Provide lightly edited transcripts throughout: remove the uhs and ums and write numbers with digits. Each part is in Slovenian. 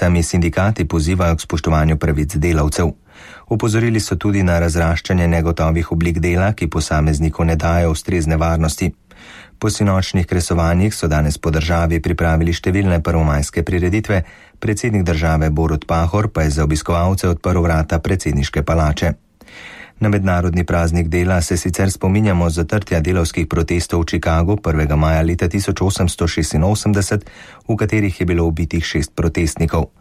Tam je sindikati pozivajo k spoštovanju pravic delavcev. Opozorili so tudi na razraščanje negotovih oblik dela, ki posamezniku ne dajo ustrezne varnosti. Po sinočnih kresovanjih so danes po državi pripravili številne prvomajske prireditve, predsednik države Borut Pahor pa je za obiskovalce odprl vrata predsedniške palače. Na mednarodni praznik dela se sicer spominjamo zatrtja delavskih protestov v Chicagu 1. maja leta 1886, v katerih je bilo ubitih 6 protestnikov.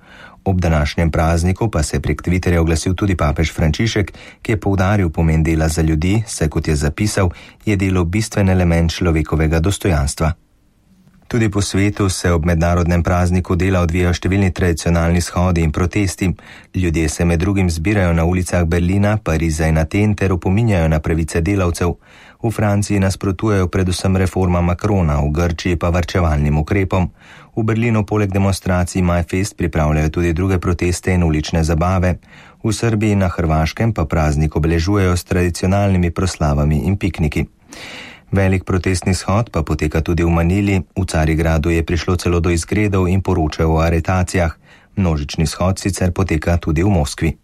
Ob današnjem prazniku pa se je prek Twitterja oglasil tudi papež Frančišek, ki je poudaril pomen dela za ljudi, saj kot je zapisal, je delo bistven element človekovega dostojanstva. Tudi po svetu se ob mednarodnem prazniku dela odvijajo številni tradicionalni shodi in protesti. Ljudje se med drugim zbirajo na ulicah Berlina, Pariza in Aten ter opominjajo na pravice delavcev. V Franciji nasprotujejo predvsem reforma Macrona, v Grčiji pa varčevalnim ukrepom. V Berlinu poleg demonstracij MyFest pripravljajo tudi druge proteste in ulične zabave. V Srbiji in na Hrvaškem pa praznik obeležujejo s tradicionalnimi proslavami in pikniki. Velik protestni shod pa poteka tudi v Manili, v Carigradu je prišlo celo do izgredov in poročajo o aretacijah. Množični shod sicer poteka tudi v Moskvi.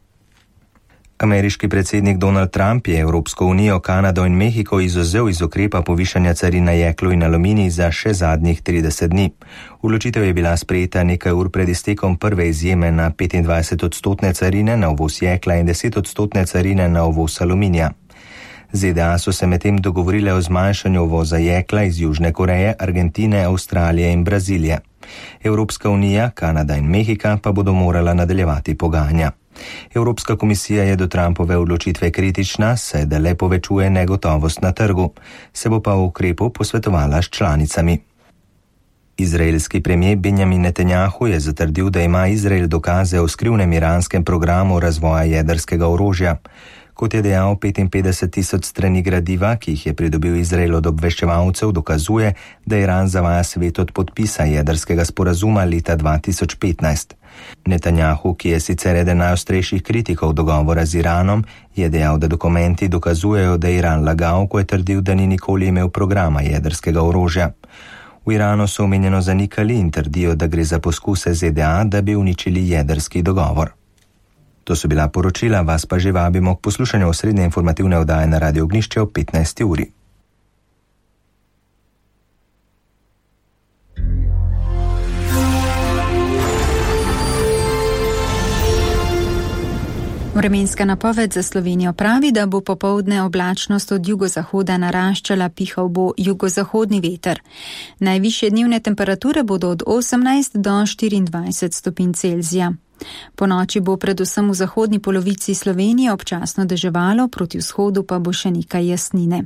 Ameriški predsednik Donald Trump je Evropsko unijo, Kanado in Mehiko izvzel iz ukrepa povišanja carin na jeklo in aluminij za še zadnjih 30 dni. Odločitev je bila sprejeta nekaj ur pred iztekom prve izjeme na 25% carine na uvoz jekla in 10% carine na uvoz aluminija. ZDA so se medtem dogovorile o zmanjšanju uvoza jekla iz Južne Koreje, Argentine, Avstralije in Brazilije. Evropska unija, Kanada in Mehika pa bodo morala nadaljevati pogajanja. Evropska komisija je do Trumpove odločitve kritična, saj da le povečuje negotovost na trgu. Se bo pa o ukrepu posvetovala s članicami. Izraelski premijer Benjamin Netanjahu je zatrdil, da ima Izrael dokaze o skrivnem iranskem programu razvoja jedrskega orožja. Kot je dejal, 55,000 strani gradiva, ki jih je pridobil Izrael od obveščevalcev, dokazuje, da Iran zavaja svet od podpisa jedrskega sporazuma leta 2015. Netanjahu, ki je sicer eden najostrejših kritikov dogovora z Iranom, je dejal, da dokumenti dokazujejo, da je Iran lagal, ko je trdil, da ni nikoli imel programa jedrskega orožja. V Iranu so omenjeno zanikali in trdijo, da gre za poskuse ZDA, da bi uničili jedrski dogovor. To so bila poročila, vas pa že vabimo k poslušanju osrednje informativne oddaje na Radio Ognjišče ob 15. uri. Vremenska napoved za Slovenijo pravi, da bo popoldne oblačnost od jugozahoda naraščala, pihal bo jugozahodni veter. Najvišje dnevne temperature bodo od 18 do 24 stopinj Celzija. Po noči bo predvsem v zahodni polovici Slovenije občasno deževalo, proti vzhodu pa bo še nekaj jasnine.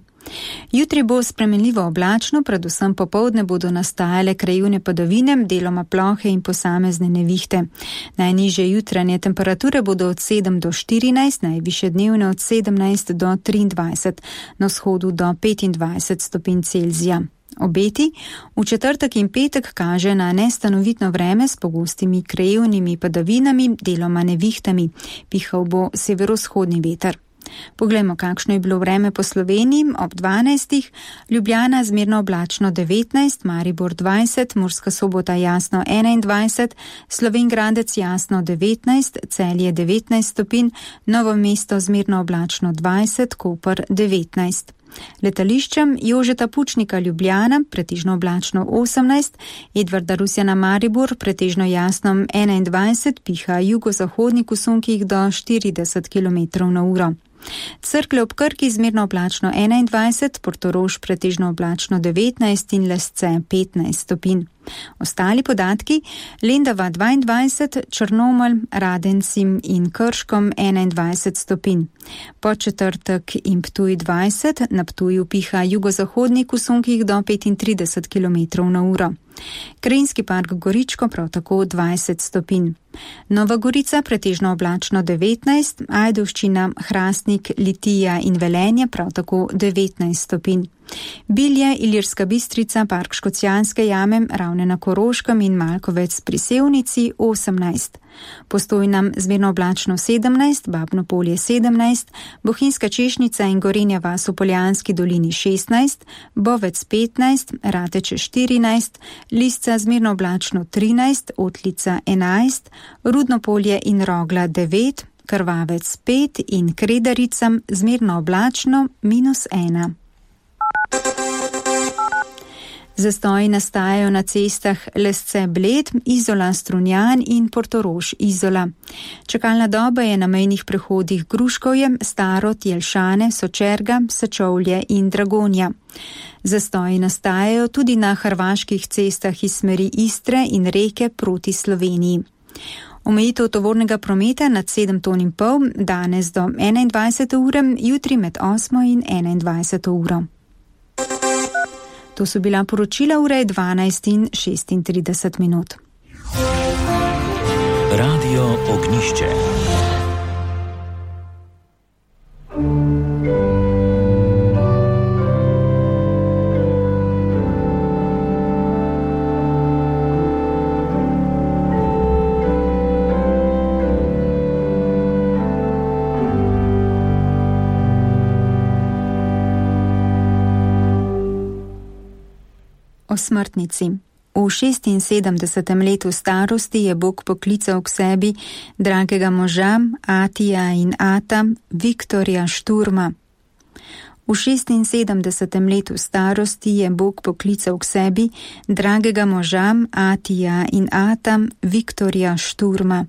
Jutri bo spremenljivo oblačno, predvsem popoldne bodo nastajale krajevne padavine, deloma plohe in posamezne nevihte. Najnižje jutranje temperature bodo od 7 do 14, najvišje dnevne od 17 do 23, na vzhodu do 25 stopinj Celzija. Obeti v četrtek in petek kaže na nestanovitno vreme s pogostimi krajevnimi padavinami, deloma nevihtami. Pihal bo severovzhodni veter. Poglejmo, kakšno je bilo vreme po Sloveniji. Ob 12. Ljubljana zmerno oblačno 19, Maribor 20, Murska Sobota jasno 21, Slovenj Gradec jasno 19, Celje 19 stopinj, Novo mesto zmerno oblačno 20, Koper 19. Letališčem Jožeta Pučnika Ljubljana, pretežno oblačno 18, Edvarda Rusjana Maribor, pretežno jasno 21, piha jugozahodnik v sunkih do 40 km/h. Cerklje ob Krki zmerno oblačno 21, Portorož pretežno oblačno 19 in Lesce 15 stopinj. Ostali podatki: Lendava 22, Črnomelj, Radencem in Krškom 21 stopinj. Podčetrtek in Ptuj 20, na Ptuju piha jugozahodnik v sunkih do 35 km/h. Krajinski park Goričko prav tako 20 stopinj. Nova Gorica pretežno oblačno 19, Ajdovščina, Hrastnik, Litija in Velenje prav tako 19 stopinj. Bilje, Ilirska Bistrica, Park Škocjanske jame, Ravne na Koroškem in Malkovec pri Sevnici 18. Postojna zmerno oblačno 17, Babno Polje 17, Bohinjska Češnica in Gorenja vas v Poljanski dolini 16, Bovec 15, Rateče 14, Lisca zmerno oblačno 13, Otlica 11, Rudno Polje in Rogla 9, Krvavec 5 in Kredaricam zmerno oblačno -1. Zastoji nastajajo na cestah Lesce-Bled, Izola-Strunjan in Portorož-Izola. Čakalna doba je na mejnih prehodih Gruškovje, Starod, Jelšane, Sočerga, Sečovlje in Dragonja. Zastoji nastajajo tudi na hrvaških cestah iz smeri Istre in Reke proti Sloveniji. Omejitev tovornega prometa nad 7,5 ton danes do 21. ure, jutri med 8. in 21. uro. To so bila poročila, ure 12 in 36 minut. Radio Ognjišče. O smrtnici. V 76. letu starosti je Bog poklical k sebi dragega moža Atija in Ata, Viktorja Šturma. V 76. letu starosti je Bog poklical k sebi dragega moža Atija in Ata, Viktorja Šturma.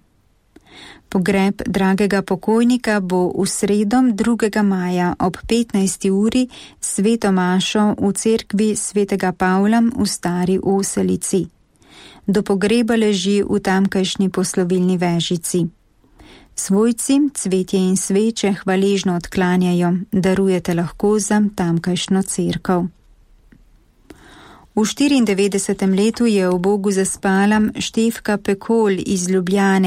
Pogreb dragega pokojnika bo v sredo 2. maja ob 15. uri sveto mašo v cerkvi svetega Pavla v Stari Oselici. Do pogreba leži v tamkajšnji poslovilni vežici. Svojci cvetje in sveče hvaležno odklanjajo, darujete lahko za tamkajšnjo cerkev. V 94. letu je v Bogu zaspala Štefka Pekol iz Ljubljane,